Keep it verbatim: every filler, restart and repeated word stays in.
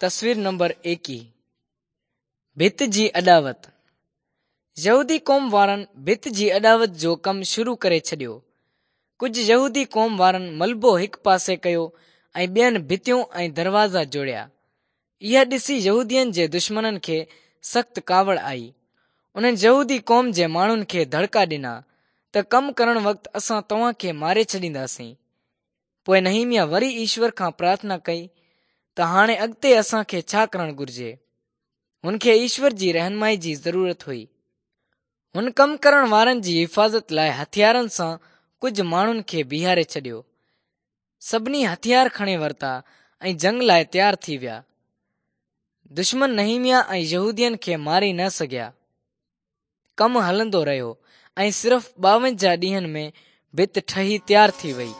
تصوير نمبر ايڪيهه. ڀت جي اڏاوت. يهودي قوم وارن ڀت جي اڏاوت جو ڪم شروع ڪري ڇڏيو. ڪجهه يهودي قوم وارن ملبو هڪ پاسي ڪيو ۽ ٻين ڀتيون ۽ دروازا جوڙيا. اها ڏسي يهودين جي دشمنن کي سخت ڪاوڙ آئي. انهن يهودي قوم جي ماڻهن کي دڙڪا ڏنا ته ڪم ڪرڻ وقت اسان توهان کي ماري ڇڏينداسين. پوء نحيمياه وري ايشور کان پرارٿنا ڪئي ته هاڻي اڳتي اسان کي ڇا ڪرڻ گهرجي. هن کي ايشور جي رهنمائي جي ضرورت هئي. هن ڪم ڪرڻ وارن جي حفاظت لاءِ هٿيارن سان ڪجهه ماڻهن کي بيهاري ڇڏيو. سڀني هٿيار کڻي ورتا ۽ جنگ لاءِ تيار ٿي ويا. دشمن نحيمياه ۽ يهودين کي ماري نه سگهيا. ڪم هلندو رهيو ۽ صرف ٻاونجاهه ڏينهن ۾ ڀت ٺهي تيار ٿي وئي.